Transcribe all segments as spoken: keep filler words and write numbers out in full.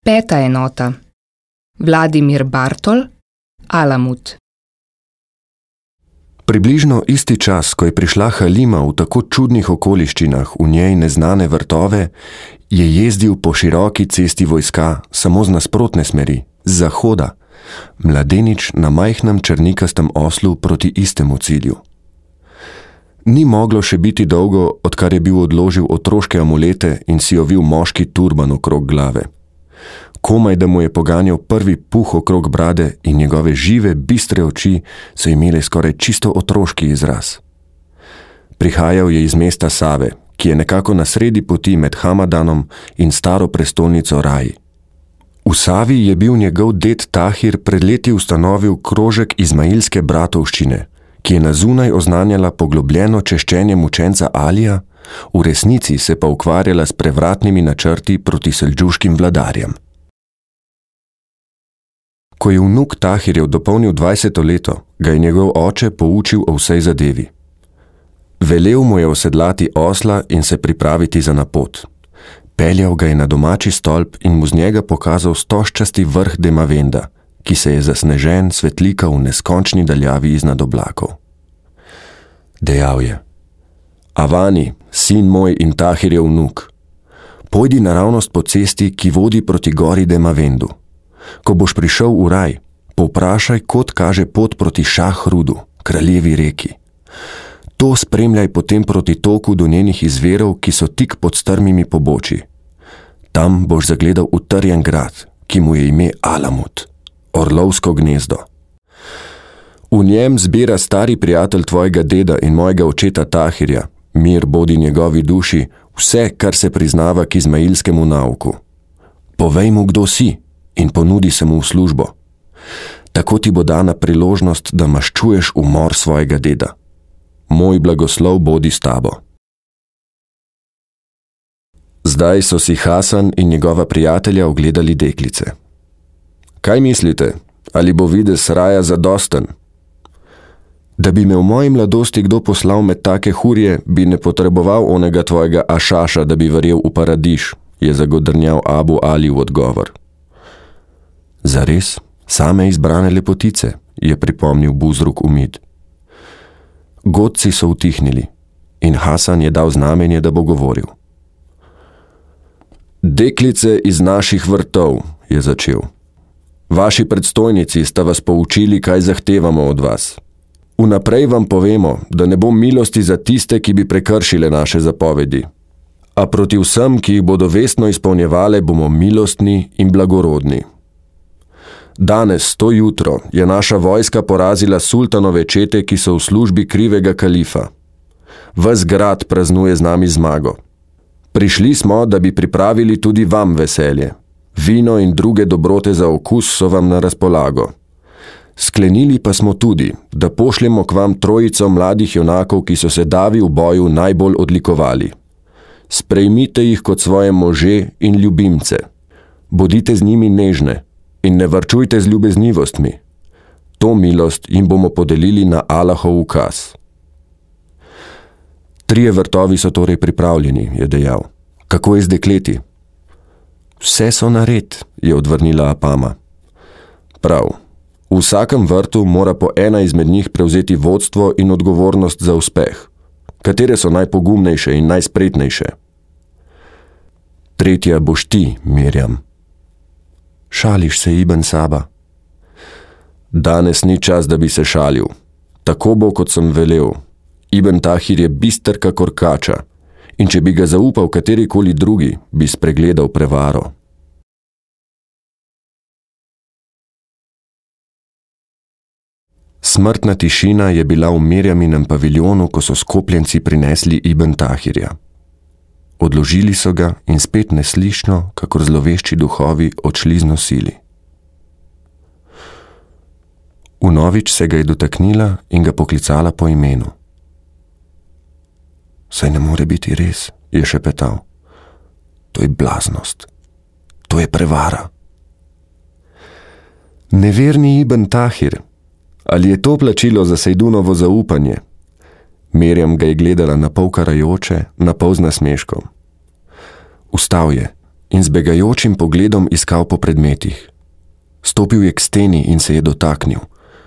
Peta enota. Vladimir Bartol, Alamut. Približno isti čas, ko je prišla Halima v tako čudnih okoliščinah v njej neznane vrtove, je jezdil po široki cesti vojska samo z nasprotne smeri, z zahoda, mladenič na majhnem črnikastem oslu proti istemu cilju. Ni moglo še biti dolgo, odkar je bil odložil otroške amulete in si ovil moški turban okrog glave. Komaj, da mu je poganjal prvi puh okrog brade in njegove žive, bistre oči so imele skoraj čisto otroški izraz. Prihajal je iz mesta Save, ki je nekako na sredi poti med Hamadanom in staro prestolnico Raji. V Savi je bil njegov ded Tahir pred leti ustanovil krožek izmailske bratovščine, ki je na zunaj oznanjala poglobljeno češčenje mučenca Alija, v resnici se pa ukvarjala s prevratnimi načrti proti seldžuškim vladarjem. Ko je vnuk Tahirjev dopolnil dvajseto leto, ga je njegov oče poučil o vsej zadevi. Velel mu je osedlati osla in se pripraviti za napot. Peljal ga je na domači stolp in mu z njega pokazal stožčasti vrh Demavenda, ki se je zasnežen svetlika v neskončni daljavi iznad oblakov. Dejal je: Avani, sin moj in Tahirjev vnuk, pojdi naravnost po cesti, ki vodi proti gori Demavendu. Ko boš prišel v raj, povprašaj, kod kaže pot proti Šahrudu, kraljevi reki. To spremljaj potem proti toku do njenih izverov, ki so tik pod strmimi poboči. Tam boš zagledal utrjen grad, ki mu je ime Alamut, orlovsko gnezdo. V njem zbira stari prijatelj tvojega deda in mojega očeta Tahirja, mir bodi njegovi duši, vse, kar se priznava k izmailskemu nauku. Povej mu, kdo si, in ponudi se mu v službo. Tako ti bo dana priložnost, da maščuješ umor svojega deda. Moj blagoslov bodi s tabo. Zdaj so si Hasan in njegova prijatelja ogledali deklice. Kaj mislite, ali bo videz raja zadosten? Da bi me v moji mladosti kdo poslal med take hurje, bi ne potreboval onega tvojega Ašaša, da bi verjel v paradiš, je zagodrnjal Abu Ali v odgovor. Zares, same izbrane lepotice, je pripomnil Buzruk Umid. Godci so utihnili in Hasan je dal znamenje, da bo govoril. Deklice iz naših vrtov, je začel. Vaši predstojnici sta vas poučili, kaj zahtevamo od vas. Vnaprej vam povemo, da ne bo milosti za tiste, ki bi prekršile naše zapovedi. A proti vsem, ki jih bodo vestno izpolnjevale, bomo milostni in blagorodni. Danes, to jutro, je naša vojska porazila sultanove čete, ki so v službi krivega kalifa. Ves grad praznuje z nami zmago. Prišli smo, da bi pripravili tudi vam veselje. Vino in druge dobrote za okus so vam na razpolago. Sklenili pa smo tudi, da pošljemo k vam trojico mladih junakov, ki so se davi v boju najbolj odlikovali. Sprejmite jih kot svoje može in ljubimce. Bodite z njimi nežne in ne varčujte z ljubeznivostmi. To milost jim bomo podelili na Allahov ukaz. Trije vrtovi so torej pripravljeni, je dejal. Kako je z dekleti? Vse so nared, je odvrnila Apama. Prav. V vsakem vrtu mora po ena izmed njih prevzeti vodstvo in odgovornost za uspeh. Katere so najpogumnejše in najspretnejše? Tretja boš ti, Mirjam. Šališ se, Ibn Saba? Danes ni čas, da bi se šalil. Tako bo, kot sem velel. Ibn Tahir je bister kakor kača in če bi ga zaupal katerikoli drugi, bi spregledal prevaro. Smrtna tišina je bila v Mirjaminem paviljonu, ko so skopljenci prinesli Ibn Tahirja. Odložili so ga in spet neslišno, kakor zlovešči duhovi, odšli z nosili. Vnovič se ga je dotaknila in ga poklicala po imenu. Saj ne more biti res, je šepetal. To je blaznost. To je prevara. Neverni Ibn Tahir, ali je to plačilo za Sejdunovo zaupanje? Mirjam ga je gledala na pol karajoče, na pol z nasmeškom. Vstal je in z begajočim pogledom iskal po predmetih. Stopil je k steni in se je dotaknil.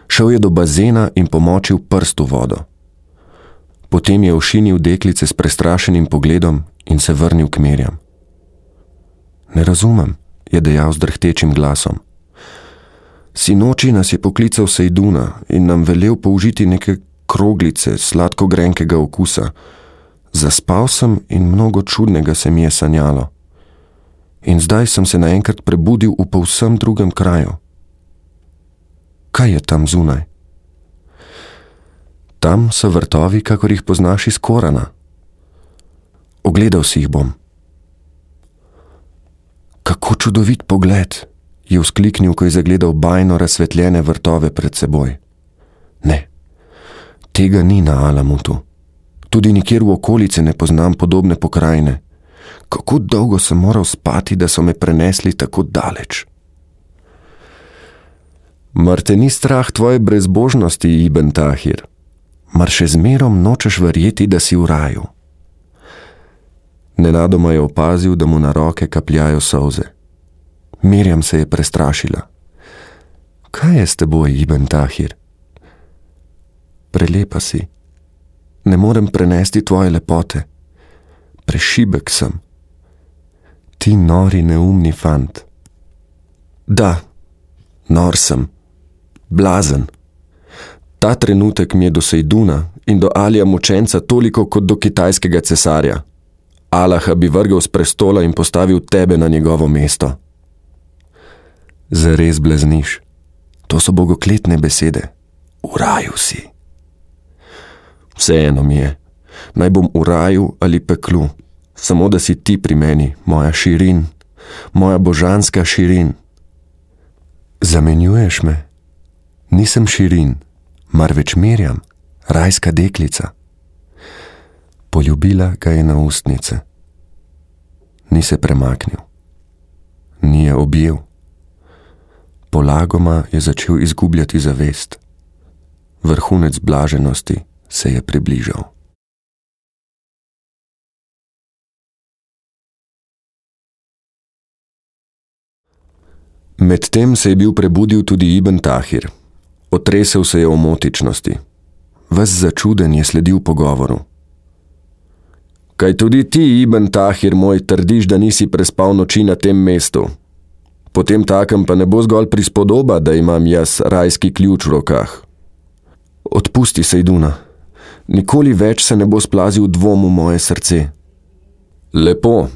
Šel je do bazena in pomočil prst v vodo. Potem je ošinil deklice s prestrašenim pogledom in se vrnil k Mirjam. Ne razumem, je dejal z drhtečim glasom. Sinoči nas je poklical Sejduna in nam velel použiti neke kroglice sladko-grenkega okusa. Zaspal sem in mnogo čudnega se mi je sanjalo. In zdaj sem se naenkrat prebudil v povsem drugem kraju. Kaj je tam zunaj? Tam so vrtovi, kakor jih poznaš iz Korana. Ogledal si jih bom. Kako čudovit pogled, je vzkliknil, ko je zagledal bajno razsvetljene vrtove pred seboj. Ne, tega ni na Alamutu. Tudi nikjer v okolici ne poznam podobne pokrajine. Kako dolgo sem moral spati, da so me prenesli tako daleč. Mar te ni strah tvoje brezbožnosti, Ibn Tahir? Mar še zmerom nočeš verjeti, da si v raju? Nenadoma je opazil, da mu na roke kapljajo solze. Mirjam se je prestrašila. Kaj je s teboj, Ibn Tahir? Prelepa si. Ne morem prenesti tvoje lepote. Prešibek sem. Ti nori neumni fant. Da, nor sem. Blazen. Ta trenutek mi je do Sejduna in do Alija mučenca toliko kot do kitajskega cesarja. Allaha bi vrgel z prestola in postavil tebe na njegovo mesto. Zares blazniš. To so bogokletne besede. V raju si. Vseeno mi je. Naj bom v raju ali peklu. Samo da si ti pri meni, moja Širin. Moja božanska Širin. Zamenjuješ me? Nisem Širin, marveč Mirjam, rajska deklica. Poljubila ga je na ustnice. Ni se premaknil. Ni je objel. Polagoma je začel izgubljati zavest. Vrhunec blaženosti se je približal. Medtem se je bil prebudil tudi Ibn Tahir. Otresel se je o motičnosti. Ves začuden je sledil pogovoru. Kaj tudi ti, Ibn Tahir moj, trdiš, da nisi prespal noči na tem mestu? Potem takem pa ne bo zgolj prispodoba, da imam jaz rajski ključ v rokah. Odpusti, Sejduna. Nikoli več se ne bo splazil dvom v moje srce. Lepo.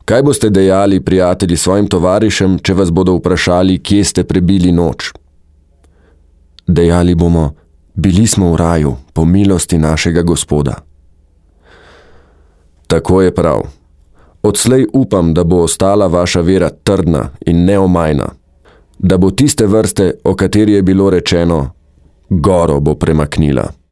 Kaj boste dejali, prijatelji, svojim tovarišem, če vas bodo vprašali, kje ste prebili noč? Dejali bomo, bili smo v raju, po milosti našega Gospoda. Tako je prav. Odslej upam, da bo ostala vaša vera trdna in neomajna, da bo tiste vrste, o kateri je bilo rečeno, goro bo premaknila.